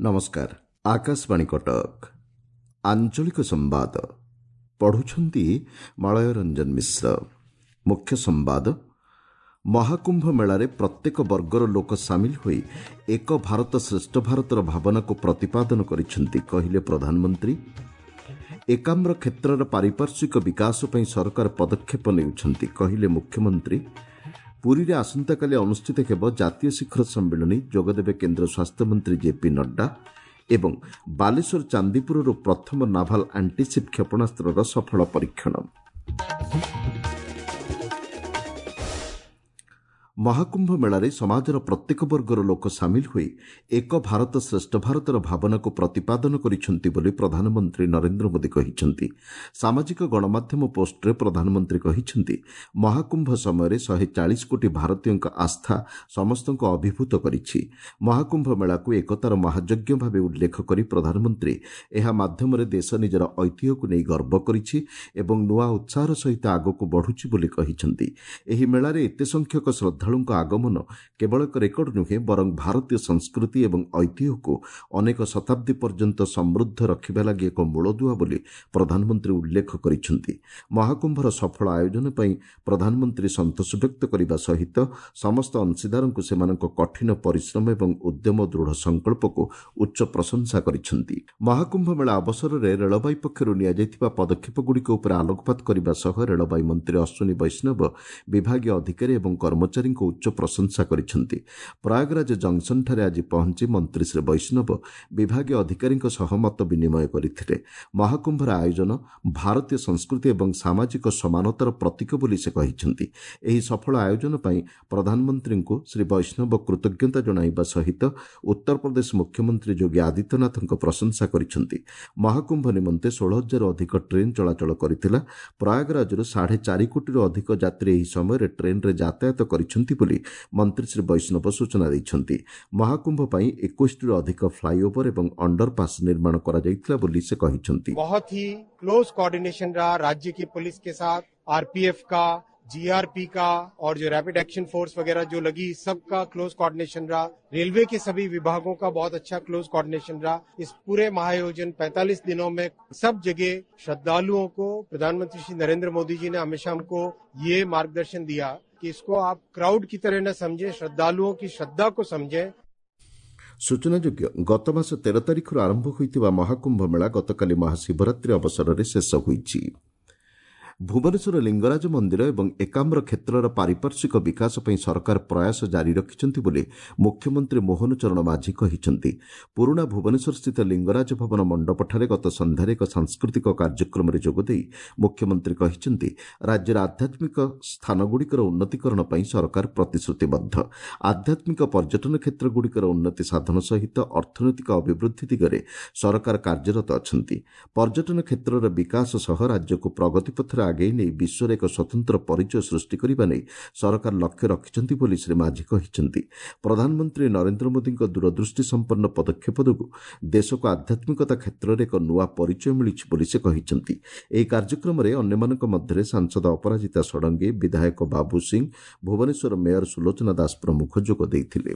ନମସ୍କାର, ଆକାଶବାଣୀ କଟକ। ଆଞ୍ଚଳିକ ସମ୍ବାଦ ପଢ଼ୁଛନ୍ତି ମଳୟ ରଞ୍ଜନ ମିଶ୍ର। ମୁଖ୍ୟ ସମ୍ବାଦ, ମହାକୁମ୍ଭ ମେଳାରେ ପ୍ରତ୍ୟେକ ବର୍ଗର ଲୋକ ସାମିଲ ହୋଇ ଏକ ଭାରତ ଶ୍ରେଷ୍ଠ ଭାରତର ଭାବନାକୁ ପ୍ରତିପାଦନ କରିଛନ୍ତି, କହିଲେ ପ୍ରଧାନମନ୍ତ୍ରୀ। ଏକାମ୍ର କ୍ଷେତ୍ରର ପାରିପାର୍ଶ୍ୱିକ ବିକାଶ ପାଇଁ ସରକାର ପଦକ୍ଷେପ ନେଉଛନ୍ତି, କହିଲେ ମୁଖ୍ୟମନ୍ତ୍ରୀ। ପୁରୀରେ ଆସନ୍ତାକାଲି ଅନୁଷ୍ଠିତ ହେବ ଜାତୀୟ ଶିଖର ସମ୍ମିଳନୀ, ଯୋଗଦେବେ କେନ୍ଦ୍ର ସ୍ୱାସ୍ଥ୍ୟମନ୍ତ୍ରୀ ଜେପି ନଡ୍ଡା। ଏବଂ ବାଲେଶ୍ୱର ଚାନ୍ଦିପୁରରୁ ପ୍ରଥମ ନାଭାଲ ଆଣ୍ଟିସିପ୍ କ୍ଷେପଣାସ୍ତ୍ରର ସଫଳ ପରୀକ୍ଷଣ। ମହାକୁମ୍ଭ ମେଳାରେ ସମାଜର ପ୍ରତ୍ୟେକ ବର୍ଗର ଲୋକ ସାମିଲ ହୋଇ ଏକ ଭାରତ ଶ୍ରେଷ୍ଠ ଭାରତର ଭାବନାକୁ ପ୍ରତିପାଦନ କରିଛନ୍ତି ବୋଲି ପ୍ରଧାନମନ୍ତ୍ରୀ ନରେନ୍ଦ୍ର ମୋଦି କହିଛନ୍ତି। ସାମାଜିକ ଗଣମାଧ୍ୟମ ପୋଷ୍ଟରେ ପ୍ରଧାନମନ୍ତ୍ରୀ କହିଛନ୍ତି, ମହାକୁମ୍ଭ ସମୟରେ 140 କୋଟି ଭାରତୀୟଙ୍କ ଆସ୍ଥା ସମସ୍ତଙ୍କୁ ଅଭିଭୂତ କରିଛି। ମହାକୁମ୍ଭ ମେଳାକୁ ଏକତାର ମହାଯଜ୍ଞ ଭାବେ ଉଲ୍ଲେଖ କରି ପ୍ରଧାନମନ୍ତ୍ରୀ ଏହା ମାଧ୍ୟମରେ ଦେଶ ନିଜର ଐତିହ୍ୟକୁ ନେଇ ଗର୍ବ କରିଛି ଏବଂ ନୂଆ ଉତ୍ସାହର ସହିତ ଆଗକୁ ବଢ଼ୁଛି ବୋଲି କହିଛନ୍ତି। ଏହି ମେଳାରେ ଏତେ ସଂଖ୍ୟକ ଶ୍ରଦ୍ଧାଳୁଙ୍କ ଆଗମନ କେବଳ ଏକ ରେକର୍ଡ ନୁହେଁ, ବରଂ ଭାରତୀୟ ସଂସ୍କୃତି ଏବଂ ଐତିହ୍ୟକୁ ଅନେକ ଶତାବ୍ଦୀ ପର୍ଯ୍ୟନ୍ତ ସମୃଦ୍ଧ ରଖିବା ଲାଗି ଏକ ମୂଳଦୁଆ ବୋଲି ପ୍ରଧାନମନ୍ତ୍ରୀ ଉଲ୍ଲେଖ କରିଛନ୍ତି। ମହାକୁମ୍ଭର ସଫଳ ଆୟୋଜନ ପାଇଁ ପ୍ରଧାନମନ୍ତ୍ରୀ ସନ୍ତୋଷ ବ୍ୟକ୍ତ କରିବା ସହିତ ସମସ୍ତ ଅଂଶୀଦାରଙ୍କୁ ସେମାନଙ୍କ କଠିନ ପରିଶ୍ରମ ଏବଂ ଉଦ୍ୟମ, ଦୃଢ଼ ସଂକଳ୍ପକୁ ଉଚ୍ଚ ପ୍ରଶଂସା କରିଛନ୍ତି। ମହାକୁମ୍ଭ ମେଳା ଅବସରରେ ରେଳବାଇ ପକ୍ଷରୁ ନିଆଯାଇଥିବା ପଦକ୍ଷେପଗୁଡ଼ିକ ଉପରେ ଆଲୋକପାତ କରିବା ସହ ରେଳବାଇ ମନ୍ତ୍ରୀ ଅଶ୍ୱିନୀ ବୈଷ୍ଣବ ବିଭାଗୀୟ ଅଧିକାରୀ ଏବଂ କର୍ମଚାରୀଙ୍କ ଉଚ୍ଚ ପ୍ରଶଂସା କରିଛନ୍ତି। ପ୍ରୟାଗରାଜ ଜଙ୍କସନ୍ଠାରେ ଆଜି ପହଞ୍ଚି ମନ୍ତ୍ରୀ ଶ୍ରୀ ବୈଷ୍ଣବ ବିଭାଗୀୟ ଅଧିକାରୀଙ୍କ ସହ ମତ ବିନିମୟ କରିଥିଲେ। ମହାକୁମ୍ଭର ଆୟୋଜନ ଭାରତୀୟ ସଂସ୍କୃତି ଏବଂ ସାମାଜିକ ସମାନତାର ପ୍ରତୀକ ବୋଲି ସେ କହିଛନ୍ତି। ଏହି ସଫଳ ଆୟୋଜନ ପାଇଁ ପ୍ରଧାନମନ୍ତ୍ରୀଙ୍କୁ ଶ୍ରୀ ବୈଷ୍ଣବ କୃତଜ୍ଞତା ଜଣାଇବା ସହିତ ଉତ୍ତରପ୍ରଦେଶ ମୁଖ୍ୟମନ୍ତ୍ରୀ ଯୋଗୀ ଆଦିତ୍ୟନାଥଙ୍କ ପ୍ରଶଂସା କରିଛନ୍ତି। ମହାକୁମ୍ଭ ନିମନ୍ତେ 16,000ରୁ ଅଧିକ ଟ୍ରେନ୍ ଚଳାଚଳ କରିଥିଲା। ପ୍ରୟାଗରାଜରୁ 4.5 କୋଟିରୁ ଅଧିକ ଯାତ୍ରୀ ଏହି ସମୟରେ ଟ୍ରେନ୍ରେ ଯାତାୟାତ କରିଛନ୍ତି ବୋଲି ମନ୍ତ୍ରୀ ଶ୍ରୀ ବୈଷ୍ଣବ ସୂଚନା ଦେଇଛନ୍ତି। ମହାକୁମ୍ଭ ପାଇଁ 21ଟିରୁ ଅଧିକ ଫ୍ଲାଇଓଭର ଏବଂ ଅଣ୍ଡରପାସ୍ ନିର୍ମାଣ କରାଯାଇଥିଲା ବୋଲି ସେ କହିଛନ୍ତି। बहुत ही क्लोज कोऑर्डिनेशन रहा राज्य की पुलिस के साथ, आरपीएफ का, जीआरपी का और जो रैपिड एक्शन फोर्स वगैरह जो लगी, सबका क्लोज कोऑर्डिनेशन रहा। रेलवे के सभी विभागों का बहुत अच्छा क्लोज कोऑर्डिनेशन रहा। इस पूरे महायोजन 45 दिनों में सब जगह श्रद्धालुओं को प्रधानमंत्री श्री नरेंद्र मोदी जी ने हमेशा हमको ये मार्गदर्शन दिया कि इसको आप क्राउड की तरह न समझें, श्रद्धालुओं की श्रद्धा को समझें। ସୂଚନାଯୋଗ୍ୟ, ଗତମାସ 13 ତାରିଖରୁ ଆରମ୍ଭ ହୋଇଥିବା ମହାକୁମ୍ଭ ମେଳା ଗତକାଲି ମହାଶିବରାତ୍ରି ଅବସରରେ ଶେଷ ହୋଇଛି। ଭୁବନେଶ୍ୱର ଲିଙ୍ଗରାଜ ମନ୍ଦିର ଏବଂ ଏକାମ୍ର କ୍ଷେତ୍ରର ପାରିପାର୍ଶ୍ୱିକ ବିକାଶ ପାଇଁ ସରକାର ପ୍ରୟାସ ଜାରି ରଖିଛନ୍ତି ବୋଲି ମୁଖ୍ୟମନ୍ତ୍ରୀ ମୋହନ ଚରଣ ମାଝୀ କହିଛନ୍ତି। ପୁରୁଣା ଭୁବନେଶ୍ୱରସ୍ଥିତ ଲିଙ୍ଗରାଜ ଭବନ ମଣ୍ଡପଠାରେ ଗତ ସନ୍ଧ୍ୟାରେ ଏକ ସାଂସ୍କୃତିକ କାର୍ଯ୍ୟକ୍ରମରେ ଯୋଗଦେଇ ମୁଖ୍ୟମନ୍ତ୍ରୀ କହିଛନ୍ତି, ରାଜ୍ୟର ଆଧ୍ୟାତ୍ମିକ ସ୍ଥାନଗୁଡ଼ିକର ଉନ୍ନତିକରଣ ପାଇଁ ସରକାର ପ୍ରତିଶ୍ରୁତିବଦ୍ଧ। ଆଧ୍ୟାତ୍ମିକ ପର୍ଯ୍ୟଟନ କ୍ଷେତ୍ରଗୁଡ଼ିକର ଉନ୍ନତି ସାଧନ ସହିତ ଅର୍ଥନୈତିକ ଅଭିବୃଦ୍ଧି ଦିଗରେ ସରକାର କାର୍ଯ୍ୟରତ ଅଛନ୍ତି। ପର୍ଯ୍ୟଟନ କ୍ଷେତ୍ରର ବିକାଶ ସହ ରାଜ୍ୟକୁ ପ୍ରଗତି ପଥରେ ଆଗେଇ ନେଇ ବିଶ୍ୱରେ ଏକ ସ୍ୱତନ୍ତ୍ର ପରିଚୟ ସୃଷ୍ଟି କରିବା ନେଇ ସରକାର ଲକ୍ଷ୍ୟ ରଖିଛନ୍ତି ବୋଲି ଶ୍ରୀ ମାଝୀ କହିଛନ୍ତି। ପ୍ରଧାନମନ୍ତ୍ରୀ ନରେନ୍ଦ୍ର ମୋଦିଙ୍କ ଦୂରଦୃଷ୍ଟି ସମ୍ପନ୍ନ ପଦକ୍ଷେପ ଯୋଗୁଁ ଦେଶକୁ ଆଧ୍ୟାତ୍ମିକତା କ୍ଷେତ୍ରରେ ଏକ ନୂଆ ପରିଚୟ ମିଳିଛି ବୋଲି ସେ କହିଛନ୍ତି। ଏହି କାର୍ଯ୍ୟକ୍ରମରେ ଅନ୍ୟମାନଙ୍କ ମଧ୍ୟରେ ସାଂସଦ ଅପରାଜିତା ଷଡ଼ଙ୍ଗୀ, ବିଧାୟକ ବାବୁ ସିଂ, ଭୁବନେଶ୍ୱର ମେୟର ସୁଲୋଚନା ଦାସ ପ୍ରମୁଖ ଯୋଗ ଦେଇଥିଲେ।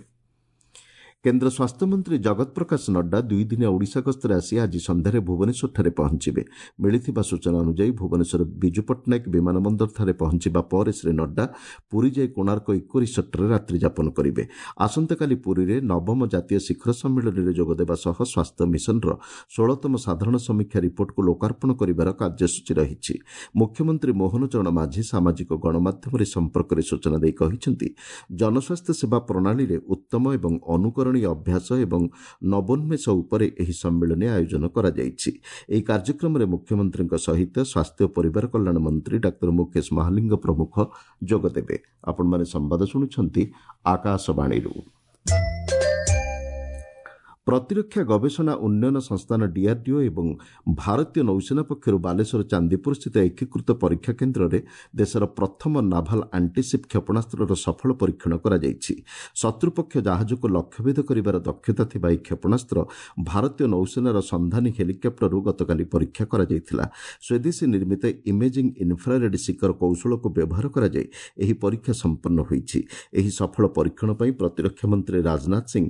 କେନ୍ଦ୍ର ସ୍ୱାସ୍ଥ୍ୟମନ୍ତ୍ରୀ ଜଗତ ପ୍ରକାଶ ନଡ୍ଡା ଦୁଇଦିନିଆ ଓଡ଼ିଶା ଗସ୍ତରେ ଆସି ଆଜି ସନ୍ଧ୍ୟାରେ ଭୁବନେଶ୍ୱରଠାରେ ପହଞ୍ଚିବେ। ମିଳିଥିବା ସୂଚନା ଅନୁଯାୟୀ, ଭୁବନେଶ୍ୱର ବିଜୁ ପଟ୍ଟନାୟକ ବିମାନ ବନ୍ଦରଠାରେ ପହଞ୍ଚିବା ପରେ ଶ୍ରୀ ନଡ୍ଡା ପୁରୀ ଯାଇ କୋଣାର୍କ ଇକୋ ରିସର୍ଟରେ ରାତ୍ରିଯାପନ କରିବେ। ଆସନ୍ତାକାଲି ପୁରୀରେ ନବମ ଜାତୀୟ ଶିଖର ସମ୍ମିଳନୀରେ ଯୋଗଦେବା ସହ ସ୍ୱାସ୍ଥ୍ୟ ମିଶନର 16ତମ ସାଧାରଣ ସମୀକ୍ଷା ରିପୋର୍ଟକୁ ଲୋକାର୍ପଣ କରିବାର କାର୍ଯ୍ୟସୂଚୀ ରହିଛି। ମୁଖ୍ୟମନ୍ତ୍ରୀ ମୋହନ ଚରଣ ମାଝୀ ସାମାଜିକ ଗଣମାଧ୍ୟମରେ ସମ୍ପର୍କରେ ସୂଚନା ଦେଇ କହିଛନ୍ତି, ଜନସ୍ୱାସ୍ଥ୍ୟ ସେବା ପ୍ରଣାଳୀରେ ଉତ୍ତମ ଏବଂ ଅନୁକରଣୀୟ ଅଭ୍ୟାସ ଏବଂ ନବୋନ୍ମେଷ ଉପରେ ଏହି ସମ୍ମିଳନୀ ଆୟୋଜନ କରାଯାଇଛି। ଏହି କାର୍ଯ୍ୟକ୍ରମରେ ମୁଖ୍ୟମନ୍ତ୍ରୀଙ୍କ ସହିତ ସ୍ୱାସ୍ଥ୍ୟ ଓ ପରିବାର କଲ୍ୟାଣ ମନ୍ତ୍ରୀ ଡାକ୍ତର ମୁକେଶ ମହାଲିଙ୍ଗ ପ୍ରମୁଖ ଯୋଗଦେବେ। ଆପଣମାନେ ସମ୍ବାଦ ଶୁଣୁଛନ୍ତି ଆକାଶବାଣୀରୁ। ପ୍ରତିରକ୍ଷା ଗବେଷଣା ଉନ୍ନୟନ ସଂସ୍ଥାନ ଡିଆର୍ଡିଓ ଏବଂ ଭାରତୀୟ ନୌସେନା ପକ୍ଷରୁ ବାଲେଶ୍ୱର ଚାନ୍ଦିପୁରସ୍ଥିତ ଏକୀକୃତ ପରୀକ୍ଷା କେନ୍ଦ୍ରରେ ଦେଶର ପ୍ରଥମ ନାଭାଲ ଆଣ୍ଟିସିପ୍ କ୍ଷେପଣାସ୍ତ୍ରର ସଫଳ ପରୀକ୍ଷଣ କରାଯାଇଛି। ଶତ୍ରୁପକ୍ଷ ଜାହାଜକୁ ଲକ୍ଷ୍ୟଭେଦ କରିବାର ଦକ୍ଷତା ଥିବା ଏହି କ୍ଷେପଣାସ୍ତ୍ର ଭାରତୀୟ ନୌସେନାର ସନ୍ଧାନୀ ହେଲିକପ୍ଟରରୁ ଗତକାଲି ପରୀକ୍ଷା କରାଯାଇଥିଲା। ସ୍ୱଦେଶୀ ନିର୍ମିତ ଇମେଜିଂ ଇନ୍ଫ୍ରାରେଡ୍ ଶିଖର କୌଶଳକୁ ବ୍ୟବହାର କରାଯାଇ ଏହି ପରୀକ୍ଷା ସମ୍ପନ୍ନ ହୋଇଛି। ଏହି ସଫଳ ପରୀକ୍ଷଣ ପାଇଁ ପ୍ରତିରକ୍ଷା ମନ୍ତ୍ରୀ ରାଜନାଥ ସିଂ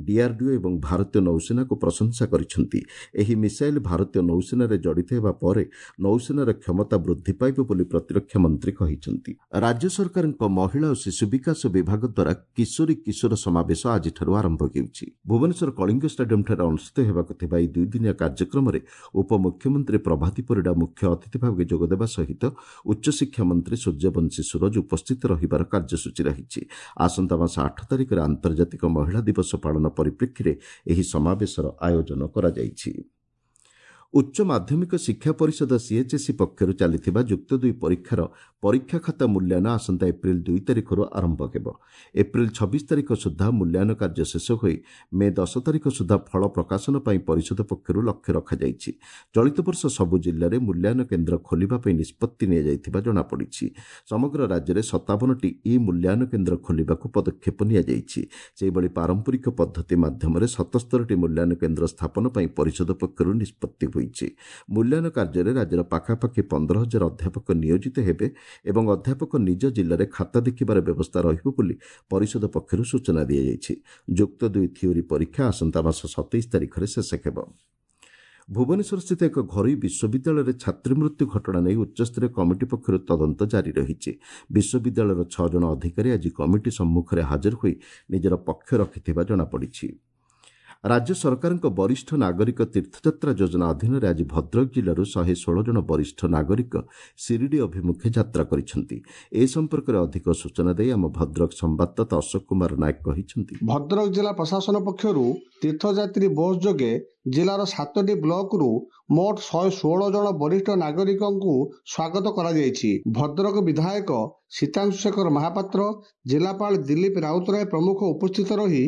ଡିଆର୍ଡିଓ ଏବଂ ଭାରତୀୟ ଭାରତୀୟ ନୌସେନାକୁ ପ୍ରଶଂସା କରିଛନ୍ତି। ଏହି ମିସାଇଲ୍ ଭାରତୀୟ ନୌସେନାରେ ଜଡ଼ିତ ହେବା ପରେ ନୌସେନାର କ୍ଷମତା ବୃଦ୍ଧି ପାଇବ ବୋଲି ପ୍ରତିରକ୍ଷା ମନ୍ତ୍ରୀ କହିଛନ୍ତି। ରାଜ୍ୟ ସରକାରଙ୍କ ମହିଳା ଓ ଶିଶୁ ବିକାଶ ବିଭାଗ ଦ୍ୱାରା କିଶୋରୀ କିଶୋର ସମାବେଶ ଆଜିଠାରୁ ଆରମ୍ଭ ହେଉଛି। ଭୁବନେଶ୍ୱର କଳିଙ୍ଗ ଷ୍ଟାଡିୟମ୍ଠାରେ ଅନୁଷ୍ଠିତ ହେବାକୁ ଥିବା ଏହି ଦୁଇଦିନିଆ କାର୍ଯ୍ୟକ୍ରମରେ ଉପମୁଖ୍ୟମନ୍ତ୍ରୀ ପ୍ରଭାତୀ ପରିଡ଼ା ମୁଖ୍ୟ ଅତିଥି ଭାବେ ଯୋଗଦେବା ସହିତ ଉଚ୍ଚଶିକ୍ଷା ମନ୍ତ୍ରୀ ସୂର୍ଯ୍ୟବଂଶୀ ସୂରଜ ଉପସ୍ଥିତ ରହିବାର କାର୍ଯ୍ୟସୂଚୀ ରହିଛି। ଆସନ୍ତା ମାସ 8 ତାରିଖରେ ଆନ୍ତର୍ଜାତିକ ମହିଳା ଦିବସ ପାଳନ ପରିପ୍ରେକ୍ଷୀରେ ଏହି ସମାବେଶର ଆୟୋଜନ କରାଯାଇଛି। ଉଚ୍ଚ ମାଧ୍ୟମିକ ଶିକ୍ଷା ପରିଷଦ ସିଏଚ୍ଏସ୍ଇ ପକ୍ଷରୁ ଚାଲିଥିବା ଯୁକ୍ତ 2 ପରୀକ୍ଷାର ପରୀକ୍ଷା ଖାତା ମୂଲ୍ୟାୟନ ଆସନ୍ତା ଏପ୍ରିଲ 2 ତାରିଖରୁ ଆରମ୍ଭ ହେବ। ଏପ୍ରିଲ 26 ତାରିଖ ସୁଦ୍ଧା ମୂଲ୍ୟାୟନ କାର୍ଯ୍ୟ ଶେଷ ହୋଇ ମେ 10 ତାରିଖ ସୁଦ୍ଧା ଫଳ ପ୍ରକାଶନ ପାଇଁ ପରିଷଦ ପକ୍ଷରୁ ଲକ୍ଷ୍ୟ ରଖାଯାଇଛି। ଚଳିତ ବର୍ଷ ସବୁ ଜିଲ୍ଲାରେ ମୂଲ୍ୟାୟନ କେନ୍ଦ୍ର ଖୋଲିବା ପାଇଁ ନିଷ୍ପତ୍ତି ନିଆଯାଇଥିବା ଜଣାପଡ଼ିଛି। ସମଗ୍ର ରାଜ୍ୟରେ 57ଟି ଇ ମୂଲ୍ୟାୟନ କେନ୍ଦ୍ର ଖୋଲିବାକୁ ପଦକ୍ଷେପ ନିଆଯାଇଛି। ସେହିଭଳି ପାରମ୍ପରିକ ପଦ୍ଧତି ମାଧ୍ୟମରେ 77ଟି ମୂଲ୍ୟାୟନ କେନ୍ଦ୍ର ସ୍ଥାପନ ପାଇଁ ପରିଷଦ ପକ୍ଷରୁ ନିଷ୍ପତ୍ତି ହୋଇଛି। ମୂଲ୍ୟାୟନ କାର୍ଯ୍ୟରେ ରାଜ୍ୟର ପାଖାପାଖି 15,000 ଅଧ୍ୟାପକ ନିୟୋଜିତ ହେବେ ଏବଂ ଅଧ୍ୟାପକ ନିଜ ଜିଲ୍ଲାରେ ଖାତା ଦେଖିବାର ବ୍ୟବସ୍ଥା ରହିବ ବୋଲି ପରିଷଦ ପକ୍ଷରୁ ସୂଚନା ଦିଆଯାଇଛି। ଯୁକ୍ତ 2 ଥିଓରି ପରୀକ୍ଷା ଆସନ୍ତା ମାସ 27 ତାରିଖରେ ଶେଷ ହେବ। ଭୁବନେଶ୍ୱରସ୍ଥିତ ଏକ ଘରୋଇ ବିଶ୍ୱବିଦ୍ୟାଳୟରେ ଛାତ୍ରୀ ମୃତ୍ୟୁ ଘଟଣା ନେଇ ଉଚ୍ଚସ୍ତରୀୟ କମିଟି ପକ୍ଷରୁ ତଦନ୍ତ ଜାରି ରହିଛି। ବିଶ୍ୱବିଦ୍ୟାଳୟର 6 ଜଣ ଅଧିକାରୀ ଆଜି କମିଟି ସମ୍ମୁଖରେ ହାଜର ହୋଇ ନିଜର ପକ୍ଷ ରଖିଥିବା ଜଣାପଡ଼ିଛି। ରାଜ୍ୟ ସରକାରଙ୍କ ବରିଷ୍ଠ ନାଗରିକ ତୀର୍ଥଯାତ୍ରା ଯୋଜନା ଅଧୀନରେ ଆଜି ଭଦ୍ରକ ଜିଲ୍ଲାରୁ 116 ଜଣ ବରିଷ୍ଠ ନାଗରିକ ଶିରିଡ଼ି ଅଭିମୁଖେ ଯାତ୍ରା କରିଛନ୍ତି। ଏ ସମ୍ପର୍କରେ ଅଧିକ ସୂଚନା ଦେଇ ଆମ ଭଦ୍ରକ ସମ୍ବାଦଦାତା ଅଶୋକ କୁମାର ନାୟକ କହିଛନ୍ତି, ଭଦ୍ରକ ଜିଲ୍ଲା ପ୍ରଶାସନ ପକ୍ଷରୁ ତୀର୍ଥଯାତ୍ରୀ ବସ୍ ଯୋଗେ ଜିଲ୍ଲାର 7ଟି ବ୍ଲକରୁ ମୋଟ 116 ଜଣ ବରିଷ୍ଠ ନାଗରିକଙ୍କୁ ସ୍ୱାଗତ କରାଯାଇଛି। ଭଦ୍ରକ ବିଧାୟକ ସୀତାଂଶୁ ଶେଖର ମହାପାତ୍ର, ଜିଲ୍ଲାପାଳ ଦିଲ୍ଲୀପ ରାଉତରାୟ ପ୍ରମୁଖ ଉପସ୍ଥିତ ରହି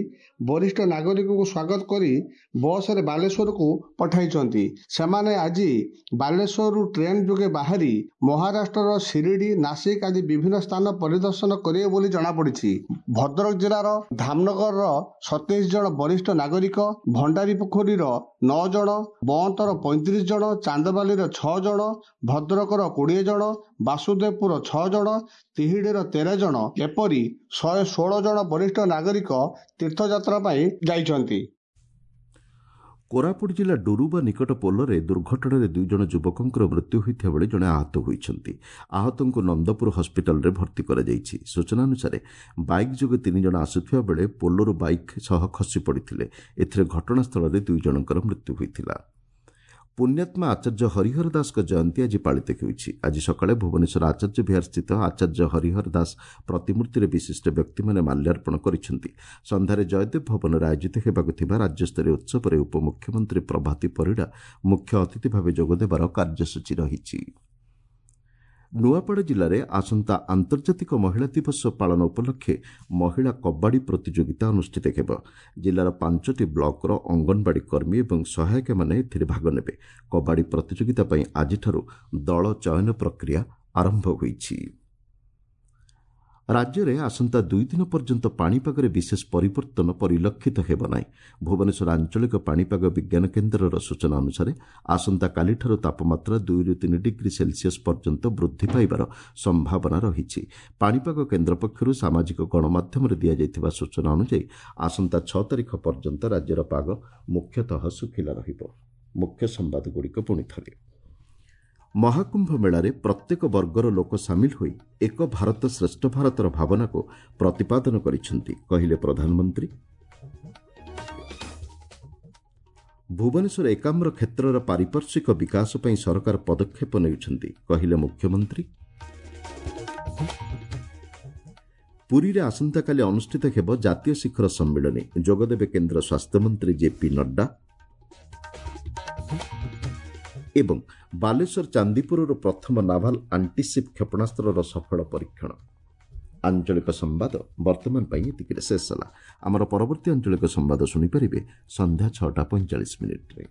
ବରିଷ୍ଠ ନାଗରିକଙ୍କୁ ସ୍ୱାଗତ କରି ବସରେ ବାଲେଶ୍ୱରକୁ ପଠାଇଛନ୍ତି। ସେମାନେ ଆଜି ବାଲେଶ୍ୱରରୁ ଟ୍ରେନ୍ ଯୋଗେ ବାହାରି ମହାରାଷ୍ଟ୍ରର ଶିରିଡ଼ି, ନାସିକ ଆଦି ବିଭିନ୍ନ ସ୍ଥାନ ପରିଦର୍ଶନ କରିବେ ବୋଲି ଜଣାପଡ଼ିଛି। ଭଦ୍ରକ ଜିଲ୍ଲାର ଧାମନଗରର 27 ଜଣ ବରିଷ୍ଠ ନାଗରିକ, ଭଣ୍ଡାରୀପୋଖରୀର 9 ଜଣ, ବନ୍ତର 35 ଜଣ, ଚାନ୍ଦବାଲିର 6 ଜଣ, ଭଦ୍ରକର 20 ଜଣ, ବାସୁଦେବପୁର 6 ଜଣ, ତିହିଡ଼ିର 13 ଜଣ, ଏପରି 116 ଜଣ ବରିଷ୍ଠ ନାଗରିକ ତୀର୍ଥଯାତ୍ରା ପାଇଁ ଯାଇଛନ୍ତି। କୋରାପୁଟ ଜିଲ୍ଲା ଡୁରୁବା ନିକଟ ପୋଲରେ ଦୁର୍ଘଟଣାରେ 2 ଜଣ ଯୁବକଙ୍କର ମୃତ୍ୟୁ ହୋଇଥିବା ବେଳେ ଜଣେ ଆହତ ହୋଇଛନ୍ତି। ଆହତଙ୍କୁ ନନ୍ଦପୁର ହସ୍ପିଟାଲରେ ଭର୍ତ୍ତି କରାଯାଇଛି। ସୂଚନା ଅନୁସାରେ ବାଇକ୍ ଯୋଗେ 3 ଜଣ ଆସୁଥିବା ବେଳେ ପୋଲରୁ ବାଇକ୍ ସହ ଖସି ପଡ଼ିଥିଲେ। ଏଥିରେ ଘଟଣାସ୍ଥଳରେ 2 ଜଣଙ୍କର ମୃତ୍ୟୁ ହୋଇଥିଲା। ପୁଣ୍ୟାତ୍ମା ଆଚାର୍ଯ୍ୟ ହରିହର ଦାସଙ୍କ ଜୟନ୍ତୀ ଆଜି ପାଳିତ ହେଉଛି। ଆଜି ସକାଳେ ଭୁବନେଶ୍ୱର ଆଚାର୍ଯ୍ୟ ବିହାର ସ୍ଥିତ ଆଚାର୍ଯ୍ୟ ହରିହର ଦାସ ପ୍ରତିମୂର୍ତ୍ତିରେ ବିଶିଷ୍ଟ ବ୍ୟକ୍ତିମାନେ ମାଲ୍ୟାର୍ପଣ କରିଛନ୍ତି। ସନ୍ଧ୍ୟାରେ ଜୟଦେବ ଭବନରେ ଆୟୋଜିତ ହେବାକୁ ଥିବା ରାଜ୍ୟସ୍ତରୀୟ ଉତ୍ସବରେ ଉପମୁଖ୍ୟମନ୍ତ୍ରୀ ପ୍ରଭାତୀ ପରିଡ଼ା ମୁଖ୍ୟ ଅତିଥି ଭାବେ ଯୋଗଦେବାର କାର୍ଯ୍ୟସୂଚୀ ରହିଛି। ନୂଆପଡ଼ା ଜିଲ୍ଲାରେ ଆସନ୍ତା ଆନ୍ତର୍ଜାତିକ ମହିଳା ଦିବସ ପାଳନ ଉପଲକ୍ଷେ ମହିଳା କବାଡ଼ି ପ୍ରତିଯୋଗିତା ଅନୁଷ୍ଠିତ ହେବ। ଜିଲ୍ଲାର 5ଟି ବ୍ଲକର ଅଙ୍ଗନବାଡ଼ି କର୍ମୀ ଏବଂ ସହାୟିକାମାନେ ଏଥିରେ ଭାଗ ନେବେ। କବାଡ଼ି ପ୍ରତିଯୋଗିତା ପାଇଁ ଆଜିଠାରୁ ଦଳ ଚୟନ ପ୍ରକ୍ରିୟା ଆରମ୍ଭ ହୋଇଛି। ରାଜ୍ୟରେ ଆସନ୍ତା 2 ଦିନ ପର୍ଯ୍ୟନ୍ତ ପାଣିପାଗରେ ବିଶେଷ ପରିବର୍ତ୍ତନ ପରିଲକ୍ଷିତ ହେବ ନାହିଁ। ଭୁବନେଶ୍ୱର ଆଞ୍ଚଳିକ ପାଣିପାଗ ବିଜ୍ଞାନ କେନ୍ଦ୍ରର ସୂଚନା ଅନୁସାରେ ଆସନ୍ତାକାଲିଠାରୁ ତାପମାତ୍ରା 2ରୁ 3 ଡିଗ୍ରୀ ସେଲସିୟସ୍ ପର୍ଯ୍ୟନ୍ତ ବୃଦ୍ଧି ପାଇବାର ସମ୍ଭାବନା ରହିଛି। ପାଣିପାଗ କେନ୍ଦ୍ର ପକ୍ଷରୁ ସାମାଜିକ ଗଣମାଧ୍ୟମରେ ଦିଆଯାଇଥିବା ସୂଚନା ଅନୁଯାୟୀ ଆସନ୍ତା 6 ତାରିଖ ପର୍ଯ୍ୟନ୍ତ ରାଜ୍ୟର ପାଗ ମୁଖ୍ୟତଃ ଶୁଖିଲା ରହିବ। ମୁଖ୍ୟ ସମ୍ବାଦଗୁଡ଼ିକ ପୁଣି ଥରେ। ମହାକୁମ୍ଭ ମେଳାରେ ପ୍ରତ୍ୟେକ ବର୍ଗର ଲୋକ ସାମିଲ ହୋଇ ଏକ ଭାରତ ଶ୍ରେଷ୍ଠ ଭାରତର ଭାବନାକୁ ପ୍ରତିପାଦନ କରିଛନ୍ତି, କହିଲେ ପ୍ରଧାନମନ୍ତ୍ରୀ। ଭୁବନେଶ୍ୱର ଏକାମ୍ର କ୍ଷେତ୍ରର ପାରିପାର୍ଶ୍ୱିକ ବିକାଶ ପାଇଁ ସରକାର ପଦକ୍ଷେପ ନେଉଛନ୍ତି, କହିଲେ ମୁଖ୍ୟମନ୍ତ୍ରୀ। ପୁରୀରେ ଆସନ୍ତାକାଲି ଅନୁଷ୍ଠିତ ହେବ ଜାତୀୟ ଶିଖର ସମ୍ମିଳନୀ, ଯୋଗଦେବେ କେନ୍ଦ୍ର ସ୍ୱାସ୍ଥ୍ୟମନ୍ତ୍ରୀ ଜେପି ନଡ୍ଡା। ଏବଂ ବାଲେଶ୍ୱର ଚାନ୍ଦିପୁରରୁ ପ୍ରଥମ ନାଭାଲ ଆଣ୍ଟିସିପ୍ କ୍ଷେପଣାସ୍ତ୍ରର ସଫଳ ପରୀକ୍ଷଣ। ଆଞ୍ଚଳିକ ସମ୍ବାଦ ବର୍ତ୍ତମାନ ପାଇଁ ଏତିକିରେ ଶେଷ ହେଲା। ଆମର ପରବର୍ତ୍ତୀ ଆଞ୍ଚଳିକ ସମ୍ବାଦ ଶୁଣିପାରିବେ ସନ୍ଧ୍ୟା 6ଟା 45 ମିନିଟ୍ରେ।